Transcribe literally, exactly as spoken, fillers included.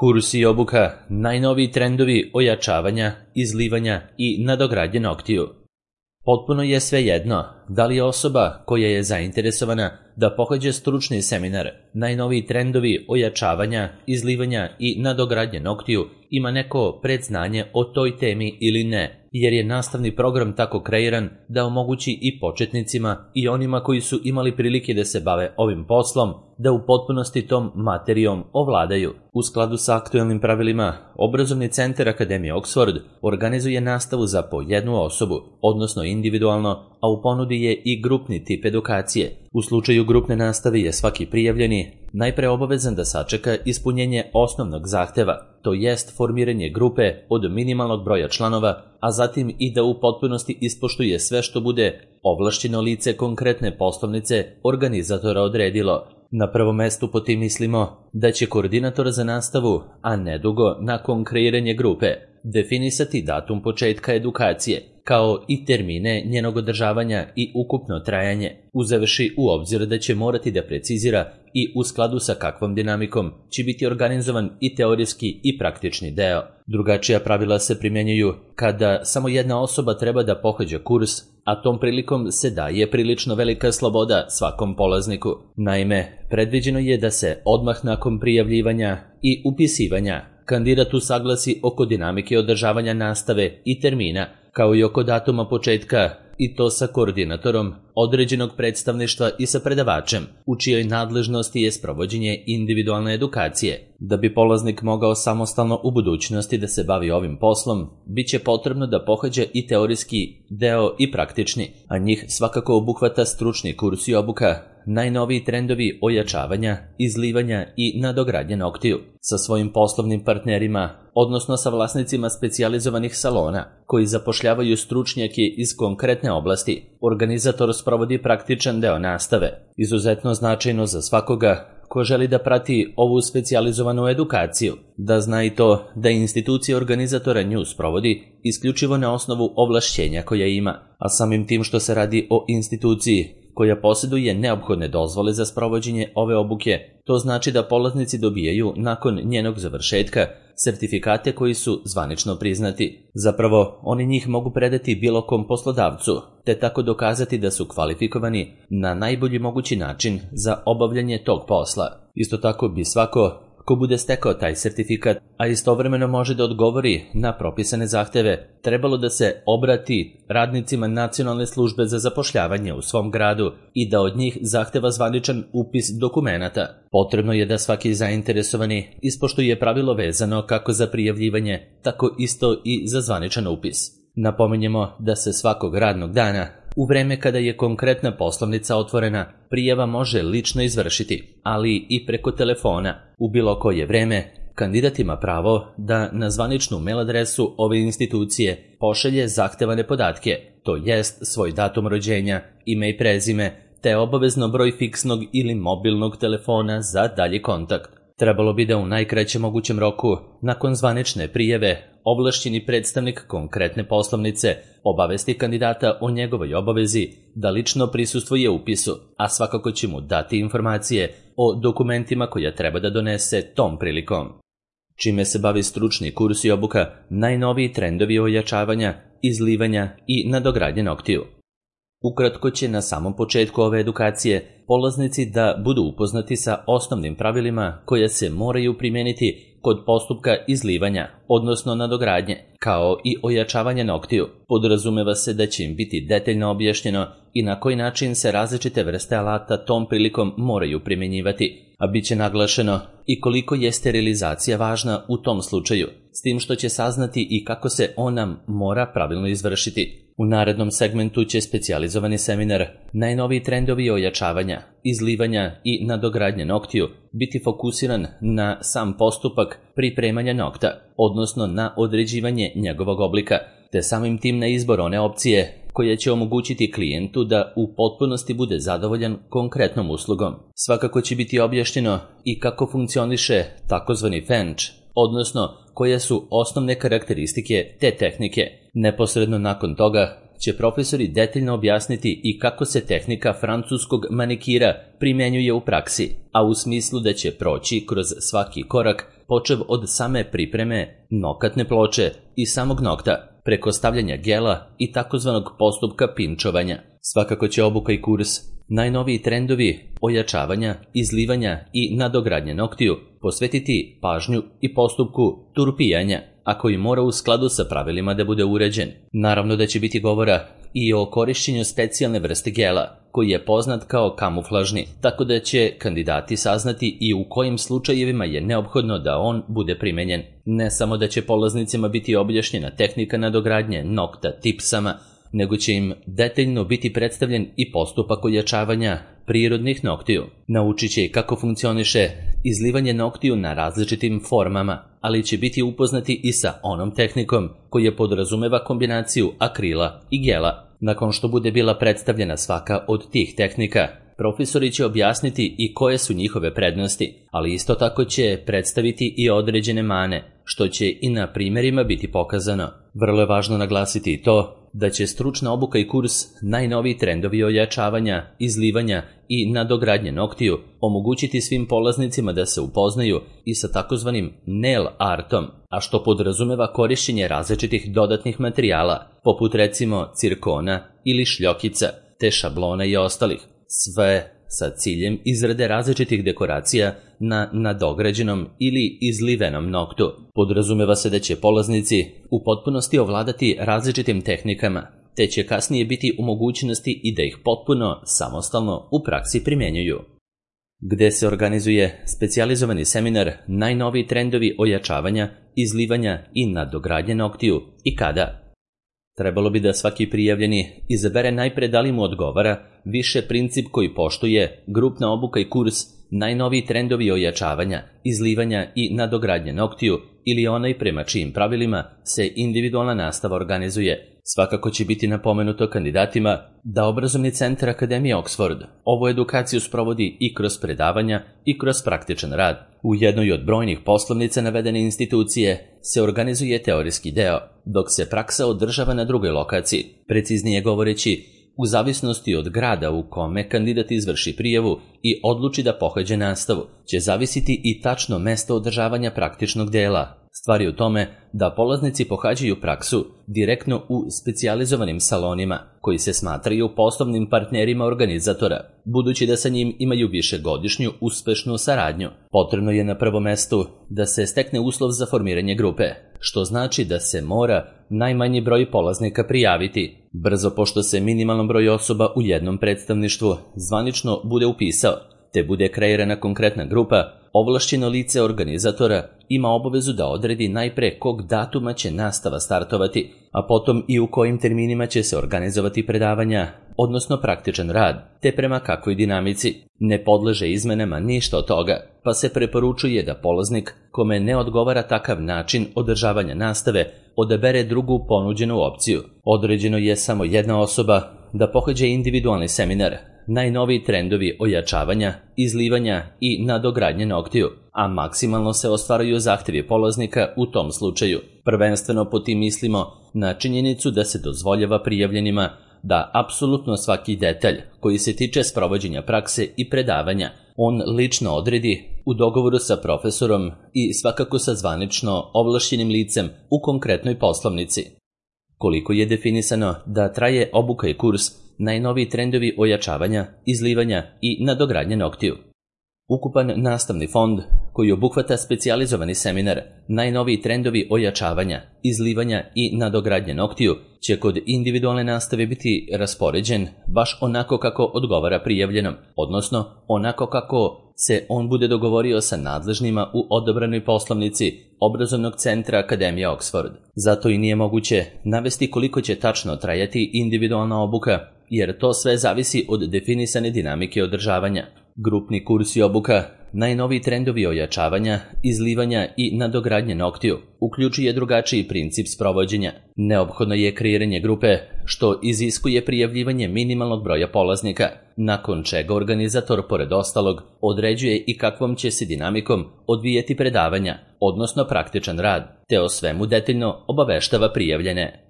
Kurs i obuka, najnoviji trendovi ojačavanja, izlivanja i nadogradnje noktiju. Potpuno je svejedno da li je osoba koja je zainteresovana da pohađa stručni seminar, najnoviji trendovi ojačavanja, izlivanja i nadogradnje noktiju ima neko predznanje o toj temi ili ne, jer je nastavni program tako kreiran da omogući i početnicima i onima koji su imali prilike da se bave ovim poslom, da u potpunosti tom materijom ovladaju. U skladu sa aktuelnim pravilima, Obrazovni centar Akademije Oxford organizuje nastavu za po jednu osobu, odnosno individualno, a u ponudi je i grupni tip edukacije. U slučaju grupne nastave je svaki prijavljeni najpre obavezan da sačeka ispunjenje osnovnog zahteva, to jest formiranje grupe od minimalnog broja članova, a zatim i da u potpunosti ispoštuje sve što bude ovlašćeno lice konkretne poslovnice organizatora odredilo. Na prvom mestu po tim mislimo da će koordinator za nastavu, a nedugo nakon kreiranja grupe, definisati datum početka edukacije, kao i termine njenog održavanja i ukupno trajanje, uzevši u obzir da će morati da precizira i u skladu sa kakvom dinamikom će biti organizovan i teorijski i praktični deo. Drugačija pravila se primjenjuju kada samo jedna osoba treba da pohađa kurs, a tom prilikom se daje prilično velika sloboda svakom polazniku. Naime, predviđeno je da se odmah nakon prijavljivanja i upisivanja kandidat usaglasi oko dinamike održavanja nastave i termina, kao i oko datuma početka, i to sa koordinatorom određenog predstavništva i sa predavačem, u čijoj nadležnosti je sprovođenje individualne edukacije. Da bi polaznik mogao samostalno u budućnosti da se bavi ovim poslom, bit će potrebno da pohađa i teorijski deo i praktični, a njih svakako obuhvata stručni kurs i obuka, najnoviji trendovi ojačavanja, izlivanja i nadogradnje noktiju. Sa svojim poslovnim partnerima, odnosno sa vlasnicima specijalizovanih salona, koji zapošljavaju stručnjake iz konkretne oblasti, organizator sprovodi praktičan deo nastave, izuzetno značajno za svakoga ko želi da prati ovu specijalizovanu edukaciju, da zna i to da institucija organizatora nju sprovodi isključivo na osnovu ovlašćenja koja ima, a samim tim što se radi o instituciji koja posjeduje neophodne dozvole za sprovođenje ove obuke, to znači da polaznici dobijaju nakon njenog završetka sertifikate koji su zvanično priznati. Zapravo, oni njih mogu predati bilo kom poslodavcu, te tako dokazati da su kvalifikovani na najbolji mogući način za obavljanje tog posla. Isto tako bi svako ko bude stekao taj sertifikat, a istovremeno može da odgovori na propisane zahteve, trebalo da se obrati radnicima Nacionalne službe za zapošljavanje u svom gradu i da od njih zahteva zvaničan upis dokumenata. Potrebno je da svaki zainteresovani ispoštuje pravilo vezano kako za prijavljivanje, tako isto i za zvaničan upis. Napominjemo da se svakog radnog dana, u vreme kada je konkretna poslovnica otvorena, prijava može lično izvršiti, ali i preko telefona. U bilo koje vreme, kandidat ima pravo da na zvaničnu mail adresu ove institucije pošalje zahtevane podatke, to jest svoj datum rođenja, ime i prezime, te obavezno broj fiksnog ili mobilnog telefona za dalji kontakt. Trebalo bi da u najkraćem mogućem roku, nakon zvanične prijave, ovlašćeni predstavnik konkretne poslovnice obavesti kandidata o njegovoj obavezi da lično prisustvuje upisu, a svakako će mu dati informacije o dokumentima koja treba da donese tom prilikom. Čime se bavi stručni kurs i obuka, najnoviji trendovi ojačavanja, izlivanja i nadogradnje noktiju. Ukratko će na samom početku ove edukacije polaznici da budu upoznati sa osnovnim pravilima koje se moraju primijeniti kod postupka izlivanja, odnosno nadogradnje, kao i ojačavanja noktiju. Podrazumeva se da će im biti detaljno objašnjeno i na koji način se različite vrste alata tom prilikom moraju primjenjivati, a bit će naglašeno i koliko je sterilizacija važna u tom slučaju, s tim što će saznati i kako se ona mora pravilno izvršiti. U narednom segmentu će specijalizovani seminar najnoviji trendovi ojačavanja, izlivanja i nadogradnje noktiju biti fokusiran na sam postupak pripremanja nokta, odnosno na određivanje njegovog oblika, te samim tim na izbor one opcije koja će omogućiti klijentu da u potpunosti bude zadovoljan konkretnom uslugom. Svakako će biti objašnjeno i kako funkcioniše takozvani fenč, odnosno koje su osnovne karakteristike te tehnike. Neposredno nakon toga će profesori detaljno objasniti i kako se tehnika francuskog manikira primjenjuje u praksi, a u smislu da će proći kroz svaki korak počev od same pripreme nokatne ploče i samog nokta, preko stavljanja gela i takozvanog postupka pinčovanja. Svakako će obuka i kurs najnoviji trendovi ojačavanja, izlivanja i nadogradnje noktiju posvetiti pažnju i postupku turpijanja, a koji mora u skladu sa pravilima da bude uređen. Naravno da će biti govora i o korišćenju specijalne vrste gela, koji je poznat kao kamuflažni, tako da će kandidati saznati i u kojim slučajevima je neophodno da on bude primenjen. Ne samo da će polaznicima biti objašnjena tehnika nadogradnje nokta tipsama, nego će im detaljno biti predstavljen i postupak ojačavanja prirodnih noktiju. Naučit će kako funkcioniše izlivanje noktiju na različitim formama, ali će biti upoznati i sa onom tehnikom koja podrazumeva kombinaciju akrila i gela. Nakon što bude bila predstavljena svaka od tih tehnika, profesori će objasniti i koje su njihove prednosti, ali isto tako će predstaviti i određene mane, što će i na primjerima biti pokazano. Vrlo je važno naglasiti i to da će stručna obuka i kurs najnoviji trendovi ojačavanja, izlivanja i nadogradnje noktiju omogućiti svim polaznicima da se upoznaju i sa takozvanim nail artom, a što podrazumeva korišćenje različitih dodatnih materijala, poput recimo cirkona ili šljokica, te šablona i ostalih, sve sa ciljem izrade različitih dekoracija na nadograđenom ili izlivenom noktu. Podrazumeva se da će polaznici u potpunosti ovladati različitim tehnikama, te će kasnije biti u mogućnosti i da ih potpuno samostalno u praksi primjenjuju. Gde se organizuje specijalizovani seminar najnoviji trendovi ojačavanja, izlivanja i nadogradnje noktiju i kada? Trebalo bi da svaki prijavljeni izabere najpre da li mu odgovara više princip koji poštuje grupna obuka i kurs najnoviji trendovi ojačavanja, izlivanja i nadogradnje noktiju ili onaj prema čijim pravilima se individualna nastava organizuje. Svakako će biti napomenuto kandidatima da obrazovni centar Akademije Oxford ovu edukaciju sprovodi i kroz predavanja i kroz praktičan rad. U jednoj od brojnih poslovnica navedene institucije se organizuje teorijski deo, dok se praksa održava na drugoj lokaciji. Preciznije govoreći, u zavisnosti od grada u kome kandidat izvrši prijavu i odluči da pohađa nastavu, će zavisiti i tačno mesto održavanja praktičnog dela. Stvar je u tome da polaznici pohađaju praksu direktno u specijalizovanim salonima, koji se smatraju poslovnim partnerima organizatora, budući da sa njim imaju višegodišnju uspešnu saradnju. Potrebno je na prvom mestu da se stekne uslov za formiranje grupe, što znači da se mora najmanji broj polaznika prijaviti. Brzo pošto se minimalan broj osoba u jednom predstavništvu zvanično bude upisao, te bude kreirana konkretna grupa, ovlašćeno lice organizatora ima obavezu da odredi najpre kog datuma će nastava startovati, a potom i u kojim terminima će se organizovati predavanja, odnosno praktičan rad, te prema kakvoj dinamici. Ne podleže izmenama ništa od toga, pa se preporučuje da polaznik kome ne odgovara takav način održavanja nastave odabere drugu ponuđenu opciju. Određeno je samo jedna osoba da pohađa individualni seminar najnoviji trendovi ojačavanja, izlivanja i nadogradnje noktiju, a maksimalno se ostvaruju zahtjevi polaznika u tom slučaju. Prvenstveno po tim mislimo na činjenicu da se dozvoljava prijavljenima da apsolutno svaki detalj koji se tiče sprovođenja prakse i predavanja on lično odredi u dogovoru sa profesorom i svakako sa zvanično ovlašćenim licem u konkretnoj poslovnici. Koliko je definisano da traje obuka i kurs najnoviji trendovi ojačavanja, izlivanja i nadogradnje noktiju? Ukupan nastavni fond koji obuhvata specijalizovani seminar najnoviji trendovi ojačavanja, izlivanja i nadogradnje noktiju će kod individualne nastave biti raspoređen baš onako kako odgovara prijavljenom, odnosno onako kako se on bude dogovorio sa nadležnima u odobranoj poslovnici obrazovnog centra Akademije Oxford. Zato i nije moguće navesti koliko će tačno trajati individualna obuka, jer to sve zavisi od definisane dinamike održavanja. Grupni kurs i obuka najnoviji trendovi ojačavanja, izlivanja i nadogradnje noktiju uključuje drugačiji princip sprovođenja. Neophodno je kreiranje grupe, što iziskuje prijavljivanje minimalnog broja polaznika, nakon čega organizator, pored ostalog, određuje i kakvom će se dinamikom odvijeti predavanja, odnosno praktičan rad, te o svemu detaljno obaveštava prijavljene.